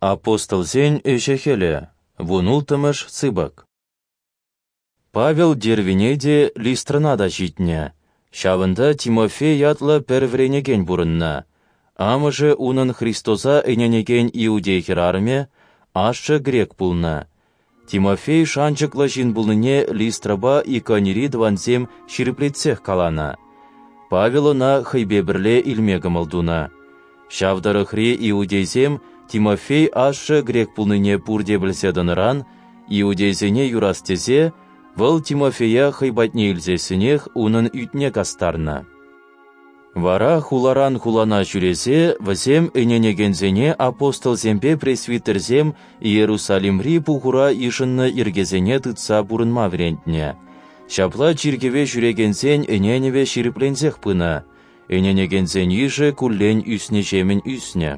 Апостолсен ӗҫӗ-хӗлӗ, вунулттӑмӗш сыпӑк. Павел Дервине те, Листрӑна та ҫитнӗ. Ҫавӑнта Тимофей ятлӑ пӗр вӗренекен пурӑннӑ. Амӑшӗ унӑн Христоса ӗненекен иудей хӗрарӑмӗ, ашшӗ грек пулнӑ. Тимофей шанчӑклӑ ҫын пулнине Листрӑпа Иконири тӑвансем ҫирӗплетсех каланӑ. Павел ӑна хӑйпе пӗрле илме кӑмӑл тунӑ. Ҫав тӑрӑхри иудейсем Тимофей ашшӗ грек пулнине пурте пӗлсе тӑнӑран, иудейсене юрас тесе, вӑл Тимофея хӑй патне илсессӗнех унӑн ӳтне кастарнӑ. Вара хуларан хулана ҫӳресе вӗсем ӗненекенсене апостолсемпе пресвитерсем Иерусалимри пухура йышӑннӑ йӗркесене тытса пурӑнма вӗрентнӗ. Ҫапла чиркӗве ҫӳрекенсен ӗненӗвӗ ҫирӗпленсех пынӑ, ӗненекенсен йышӗ куллен ӳснӗҫемӗн ӳснӗ.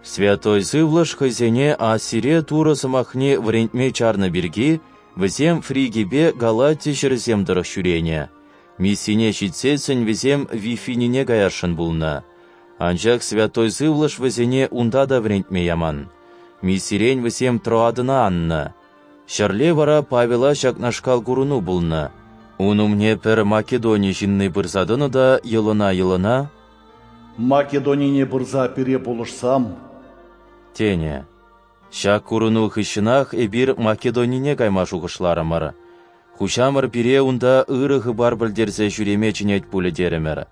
Святой Сывлӑш хӑйсене Асире Турӑ сӑмахне вӗрентме чарнӑ пирки вӗсем Фригипе Галати ҫӗрӗсем тӑрӑх ҫӳренӗ. Миссине ҫитсессӗн вӗсем Вифинине каясшӑн пулнӑ. Анчах Святой Сывлӑш вӗсене унта та вӗрентме яман. Миссирен вӗсем Троадӑна аннӑ. Ҫӗрле вара Павела ҫакнашкал курӑну пулнӑ. Ун умне пӗр Македони ҫынни пырса тӑнӑ та йӑлӑна-йӑлӑна: «Македонине пырса пире пулӑшсам», тенӗ. Ҫак курӑну хыҫҫӑнах эпир Македонине кайма шухӑшларӑмӑр. Хуҫамӑр пире унта ырӑ хыпар пӗлтерсе ҫӳреме чӗнет пулӗ терӗмӗр.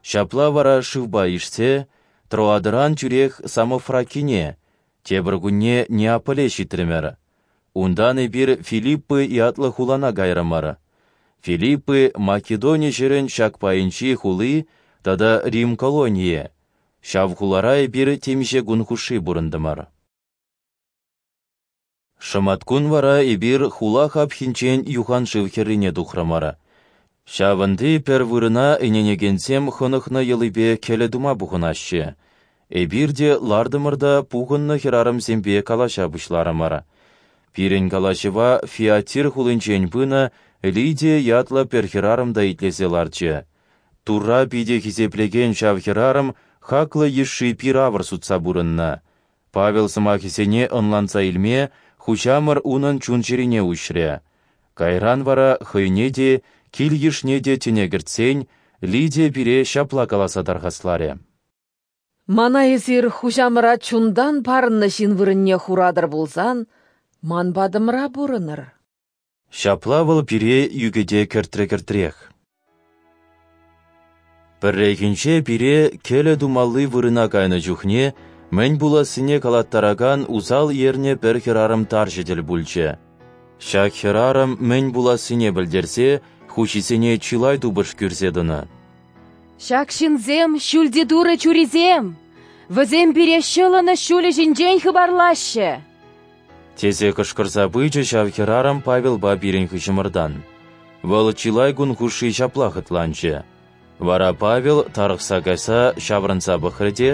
Ҫапла вара шывпа ишсе Троадӑран тӳрех Самофракине, тепӗр кунне Неаполе ҫитрӗмӗр. Унтан эпир Филиппы ятлӑ хулана кайрӑмӑр. Филиппы Македони ҫӗрӗн ҫак пайӗнчи хули тата Рим колонийӗ. Ҫав хулара эпир темиҫе кун хушши пурӑнтӑмӑр. Шӑматкун вара эпир хула хапхинчен юханшыв хӗррине тухрӑмӑр. Ҫавӑнти пӗр вырӑна ӗненекенсем хӑнӑхнӑ йӑлипе кӗлӗ тума пухӑнаҫҫӗ. Эпир те лартӑмӑр та пухӑннӑ хӗрарӑмсемпе калаҫа пуҫларӑмӑр. Пирӗн калаҫӑва Фиатир хулинчен пынӑ Лидия ятлӑ пӗр хӗрарӑм та итлесе ларчӗ. Турра питӗ хисеплекен ҫав хӗрарӑм хаклӑ йышши пир-авӑр сутса пурӑннӑ. Павел сӑмахӗсене ӑнланса илме Хуҫамӑр унӑн чун-чӗрине уҫрӗ. Кайран вара хӑйне те, кил-йышне те тӗне кӗртсен, Лидия пире ҫапла каласа тархасларӗ: «Мана эсир Хуҫамӑра чунтан парӑннӑ ҫын вырӑнне хуратӑр пулсан, ман патӑмра пурӑнӑр». Ҫапла вӑл пире ӳкӗте кӗртрӗ-кӗртрех. Пӗррехинче пире кӗлӗ тумалли вырӑна кайнӑ чухне мӗн пулассине калаттаракан усал ернӗ пӗр хӗрарӑм тарҫӑ тӗл пулчӗ. Ҫак хӗрарӑм мӗн пулассине пӗлтерсе хуҫисене чылай тупӑш кӳрсе тӑнӑ. «Ҫак ҫынсем Ҫӳлти Турӑ чурисем, вӗсем пире ҫӑлӑнӑҫ ҫулӗ ҫинчен хыпарлаҫҫӗ», тесе кӑшкӑрса пычӗ ҫав хӗрарӑм Павелпа пирӗн хыҫӑмӑртан. Вӑл чылай кун хушши ҫапла хӑтланчӗ. Вара Павел тарӑхса кайса ҫаврӑнса пӑхрӗ те: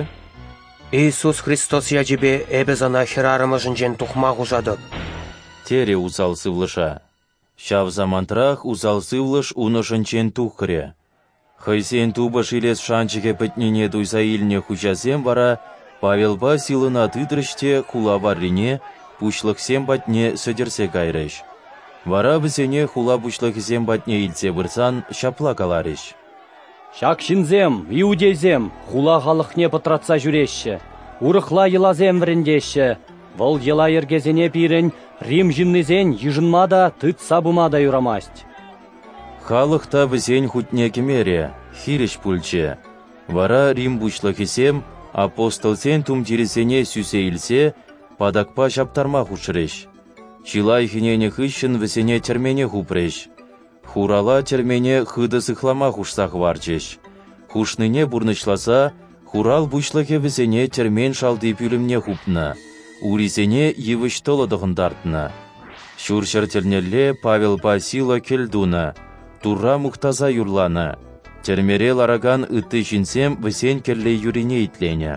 «Иисус Христос ячӗпе эпӗ сана хӗрарӑм ӑшӗнчен тухма хушатӑп», терӗ усал сывлӑша. Ҫав самантрах усал сывлӑш ун ӑшӗнчен тухрӗ. Хӑйсен тупӑш илес шанчӑкӗ пӗтнине туйса илнӗ хуҫасем вара Павелпа Силӑна тытрӗҫ те хула варрине, пуҫлӑхсем патне сӗтӗрсе кайрӗҫ. Вара вӗсене хула пуҫлӑхӗсем патне илсе пырсан ҫапла каларӗҫ: «Ҫак ҫынсем, иудейсем, хула халӑхне пӑтратса ҫӳреҫҫӗ, урӑхла йӑласем вӗрентеҫҫӗ. Вӑл йӑла-йӗркесене пирӗн, Рим ҫыннисен, йышӑнма та, тытса пыма та юрамасть». Халӑх та вӗсен хутне кӗмерӗ, хирӗҫ пулчӗ. Вара Рим пуҫлӑхӗсем апостолсен тумтирӗсене сӳсе илсе патакпа ҫаптарма хушрӗҫ. Чылай хӗненӗ хыҫҫӑн вӗсене тӗрмене хупрӗҫ. Хурала тӗрмене хытӑ сыхлама хушса хӑварчӗҫ. Хушнине пурнӑҫласа хурал пуҫлӑхӗ вӗсене тӗрмен шалти пӳлӗмне хупнӑ, урисене йывӑҫ тӑлӑ тӑхӑнтартнӑ. Ҫурҫӗр тӗлнелле Павелпа Сила кӗл тунӑ, Турра мухтаса юрланӑ. Тӗрмере ларакан ытти ҫынсем вӗсен кӗлле юрине итленӗ.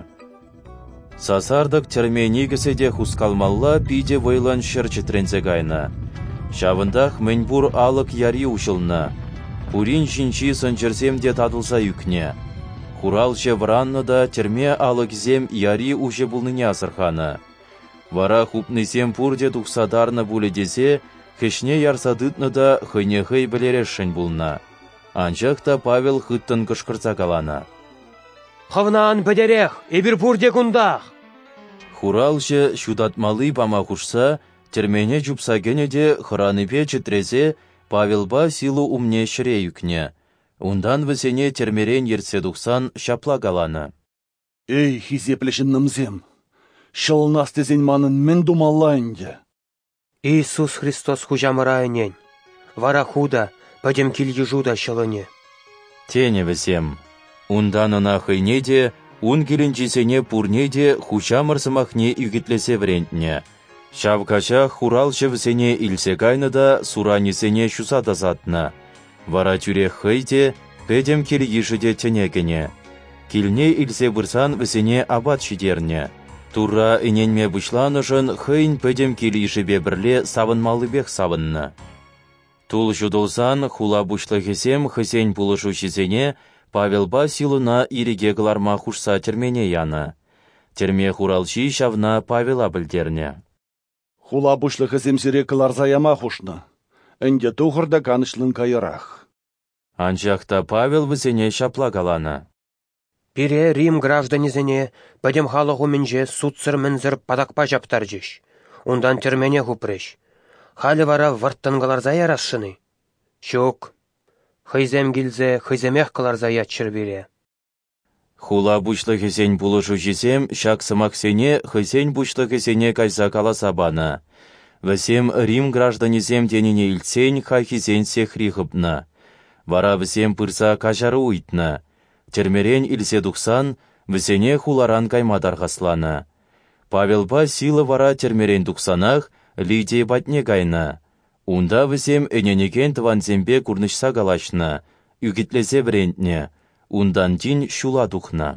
Сасартӑк тӗрме никӗсӗ те хускалмалла питӗ вӑйлӑн ҫӗр чӗтренсе кайнӑ. Ҫавӑнтах мӗнпур алӑк яри уҫӑлнӑ. Пурин ҫинчи сӑнчӑрсем те татӑлса ӳкнӗ. Хуралҫӑ вӑраннӑ та тӗрме алӑкӗсем яри уҫӑ пулнине асӑрханӑ. Вара хупнисем пурте тухса тарнӑ пулӗ тесе хӗҫне ярса тытнӑ та хӑйне хӑй вӗлересшӗн пулнӑ. Анчах та Павел хыттӑн кӑшкӑрса каланӑ: «Хӑвна ан пӗтерех, эпир пурте кунтах!» Хуралҫӑ ҫутатмалли пама хушса тӗрмене чупса кӗнӗ те хӑранипе чӗтресе Павелпа Сила умне ҫӗре ӳкнӗ. Унтан вӗсене тӗрмерен ертсе тухсан ҫапла каланӑ: «Эй, хисеплӗ ҫыннӑмсем, ҫӑлӑнас тесен манӑн мӗн тумалла ӗнтӗ?» Иисус Христос Хуҫамӑра ӗнен, вара ху та, пӗтӗм кил-йышу та ҫӑлӑнӗ. Тенӗ вӗсем. Унтан ӑна хӑйне те, ун килӗнчисене пурне те Хуҫамӑр сӑмахне ӳкӗтлесе вӗрентнӗ. Ҫав каҫах хуралҫӑ вӗсене илсе кайнӑ та суранӗсене ҫуса тасатнӑ. Вара тӳрех хӑй те, пӗтӗм кил-йышӗ те тӗне кӗнӗ. Килне илсе пырсан вӗсене апат ҫитернӗ. Турра ӗненме пуҫланӑшӑн хӑйӗн пӗтӗм кил-йышӗпе пӗрле савӑнмаллипех савӑннӑ. Тул ҫутӑлсан хула пуҫлӑхӗсем хӑйсен пулӑшуҫисене Павелпа Силӑна ирӗке кӑларма хушса тӗрмене янӑ. Тӗрме хуралҫи ҫавна Павела пӗлтернӗ. Хула пуҫлӑхӗсем сире кӑларса яма хушнӑ. Ӗнтӗ тухӑр та канӑҫлӑн кайӑрах. Анчах та Павел вӗсене ҫапла каланӑ: «Пире, Рим гражданӗсене, пӗтӗм халӑх умӗнче судсӑр-мӗнсӗр патакпа ҫаптарчӗҫ, унтан тӗрмене хупрӗҫ. Халӗ вара вӑрттӑн кӑларса ярасшӑн-и? Ҫук, хӑйсем килсе хӑйсемех кӑларса яччӑр пире». Хула пуҫлӑхӗсен пулӑшуҫисем ҫак сӑмахсене хӑйсен пуҫлӑхӗсене кайса каласа панӑ. Вӗсем Рим гражданӗсем тенине илтсен хайхисен сехри хӑпнӑ. Вара вӗсем пырса каҫару ыйтнӑ. Тӗрмерен илсе тухсан вӗсене хуларан кайма тархасланӑ. Павелпа Сила вара тӗрмерен тухсанах Лидия патне кайнӑ. Унта вӗсем ӗненекен тӑвансемпе курнӑҫса калаҫнӑ, ӳкӗтлесе вӗрентнӗ, унтан тин ҫула тухнӑ.